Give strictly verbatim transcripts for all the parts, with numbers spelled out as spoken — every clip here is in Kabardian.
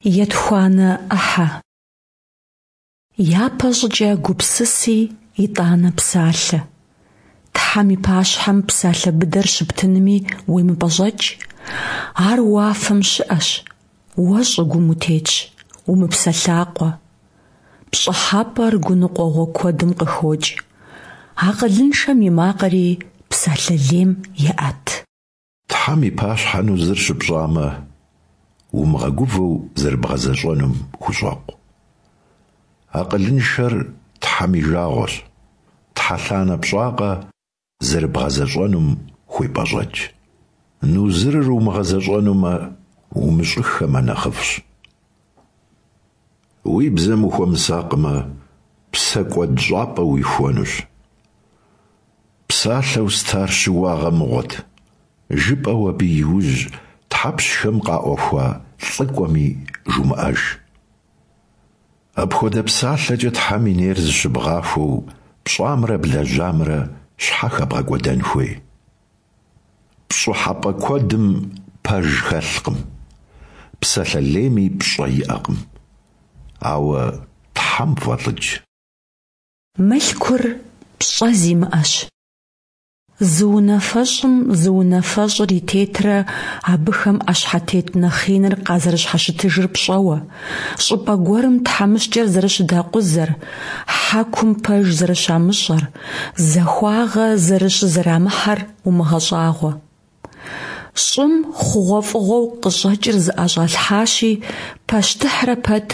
Етхуанэ ӏыхьэ. Япэщӏыкӏэ гупсыси, итӏанэ псалъэ. Тхьэм и пащхьэм псалъэ быдэр щыптынми уемыпӏэщӏэкӏ. Ар уафэм щыӏэщ, уэ щӏыгум утетщ, умыпсэлъакъуэ. Пщӏыхьэпӏэр гуныкъуэгъуэ куэдым къыхокӏ, акъылыншэм и макъри псалъэ лейм еӏэт. Тхьэм и пащхьэ нузыр щыпщӏамэ, умыгъэгувэу зэрыбгъэзэщӏэнум хущӏэкъу. Акъылыншэр Тхьэм и жагъуэщ, тхьэлъанэ пщӏакъэ, зэрыбгъэзэщӏэнум хуепӏэщӏэкӏ. Нузырыр умыгъэзэщӏэнумэ, умыщӏыххэмэ нэхъыфӏщ. Уи бзэм ухуэмысакъмэ, псэкӏуэд щӏапӏэ уихуэнущ. Псалъэу стар щыуагъэ мыгъуэт, жыпӏэу абы и ужь тхьэпщхэм къаӏуэхуа лӏыкӏуэми жумыӏэж. Апхуэдэ псалъэкӏэ Тхьэм и нейр зыщыбгъахуэу пщӏамрэ блэжьамрэ щхьэ хэбгъэкӏуэдэн хуей? Пщӏыхьэпӏэ куэдым пэж хэлъкъым, псалъэ лейми пщӏэ иӏэкъым. Ауэ Тхьэм фӏэлӏыкӏ. Мылъкур пщӏэ зимыӏэщ. Зы унафэщӏым зы унафэщӏыр и тетрэ абыхэм ӏэщхьэтет нэхъ иныр къазэрыщхьэщытыжыр пщӏэуэ, щӏыпӏэ гуэрым тхьэмыщкӏэр зэрыщыдакъузэр, хьэкум пэж зэрыщамыщӏэр, захуагъэ зэрыщызэрамыхьэр умыгъэщӏагъуэ. Щӏым хъугъуэфӏыгъуэу къыщӏэкӏыр зыӏэщӏалъхьащи, пащтыхьрэ пэт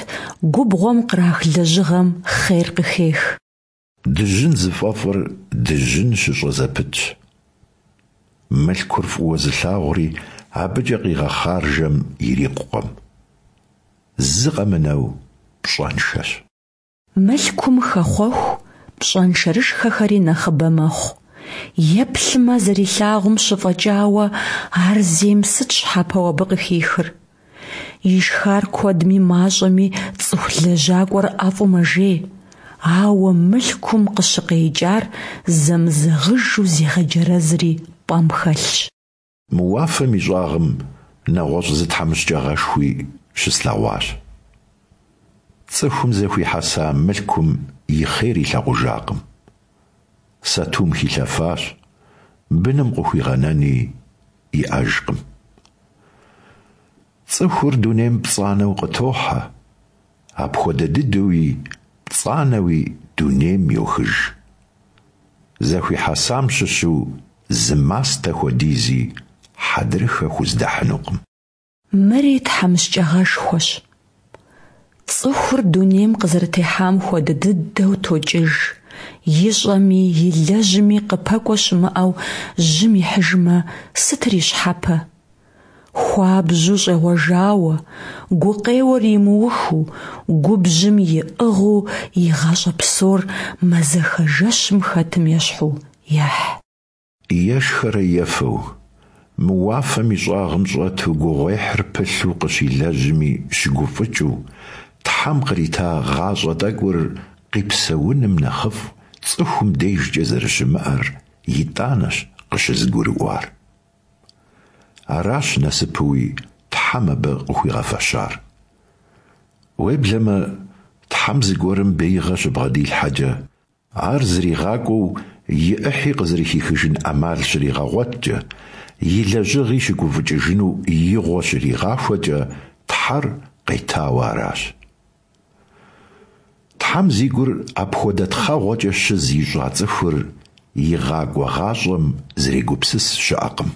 губгъуэм кърах лэжьыгъэм хъер къыхех. Дыжьын зыфӏэфӏыр дыжьын щыщӏэ зэпытщ. Мылъкур фӏыуэ зылъагъури абыкӏэ къигъэхъаржэм ирикъукъым. Зы къэмынэу пщӏэншэщ. Мылъкум хэхъуэху, пщӏэншэрышхэхэри нэхъыбэ мэхъу. Еплъмэ, зэрилъагъум щыфӏэкӏауэ, ар зейм сыт щхьэпэу абы къыхихыр? Ишхар куэдми мащӏэми цӏыху лэжьакӏуэр ӏэфӏу мэжей, ауэ мылъкум къыщыкъеикӏар зэмызэгъыжу зегъэджэрэзри пӏэм хэлъщ. Мы уафэм и щӏагъым нэгъуэщӏ зы тхьэмыщкӏагъэшхуи щыслъэгъуащ. Цӏыхум зэхуихьэса мылъкум и хъер илъагъужакъым. Сатум хилъэфащ, быным къыхуигъэнэни иӏэжкъым. Цӏыхур дунейм пцӏанэу къытохьэ, апхуэдэ дыдэуи пцӏанэуи дунейм йохыж. Зэхуихьэсам щыщу зы мастэ хуэдизи хьэдрыхэ хуздэхьынукъым. Мыри тхьэмыщкӏагъэшхуэщ. Цӏыхур дунейм къызэрытехьам хуэдэ дыдэу токӏыж, ищӏэми илэжьми къыпэкӏуэ щымыӏэу жьым ихьыжмэ, сытыр и щхьэпэ? Хуабжьу щӏегъуэжауэ, гукъеуэр имыухыу, губжьым иӏыгъыу и гъащӏэ псор мазэхэ жэщым хэтым ещхьу ехь. Ешхэрэ ефэу, мы уафэм и щӏагъым щӏэту гугъуехьыр пылъу къыщилэжьми щыгуфӏыкӏыу, Тхьэм кърита гъащӏэ тӏэкӏур къипсэуным нэхъыфӏ цӏыхум дежкӏэ зэрыщымыӏэр итӏанэщ къыщызгурыӏуар. Аращ насыпуи Тхьэм абы къыхуигъэфэщар. Уеблэмэ, Тхьэм зыгуэрым беигъэ щыбгъэдилъхьэкӏэ, ар зригъакӏуэу и ӏыхьи къызэрыхихыжын ӏэмал щригъэгъуэткӏэ, и лэжьыгъи щыгуфӏыкӏыжыну игъуэ щригъахуэкӏэ, Тхьэр къетауэ аращ. Тхьэм зи гур апхуэдэ тхъэгъуэкӏэ щыз ищӏа цӏыхур игъакӏуэ гъащӏэм зэрегупсыс щыӏэкъым.